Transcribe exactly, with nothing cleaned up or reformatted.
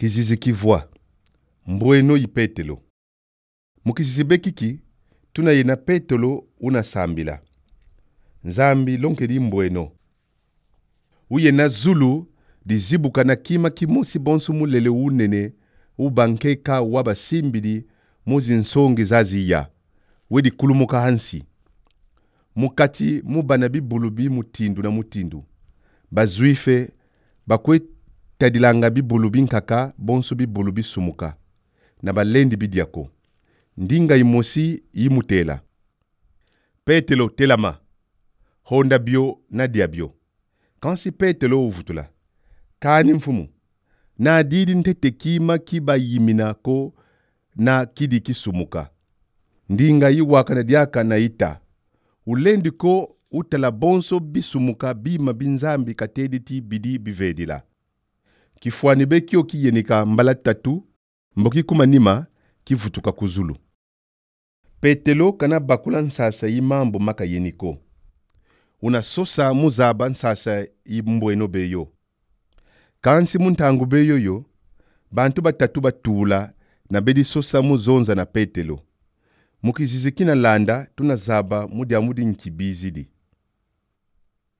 Kizizi kivwa. Mbweno yi Petelo. Mukizizi bekiki, tuna yena Petelo una sambila. Nzambi lonkeli mbweno. Uye na zulu, di zibuka na kima kimosi bonsu mulele unene, ubankeka waba simbidi, muzi nsongi zaziya. Wedi kulumuka hansi. Mukati mubanabi bulubi mutindu na mutindu. Bazuife, bakwe tadilanga bi bulubi nkaka, bonsu bi bulubi sumuka. Na balendi bidiako. Ndinga imosi imutela. Petelo telama. Honda bio na diabio. Kansi Petelo uvutula. Kani mfumu. Na didi ntete kima kiba yimina ko na kidi kisumuka. Ndinga iwaka na diaka na ita. Ulendi ko utala bonso bisumuka bima binzambi katediti bidi bivedila. Kifuani bekio kiyenika mbala tatu, mboki kumanima kifutuka kuzulu. Petelo kana bakula nsasa imambo maka yeniko. Una sosa muzaba nsasa imbweno beyo. Kansi muntangu beyo yo, bantu batatu batula na bedi sosa muzonza na Petelo. Mukizizikina landa tunazaba mudi amudi nkibizidi.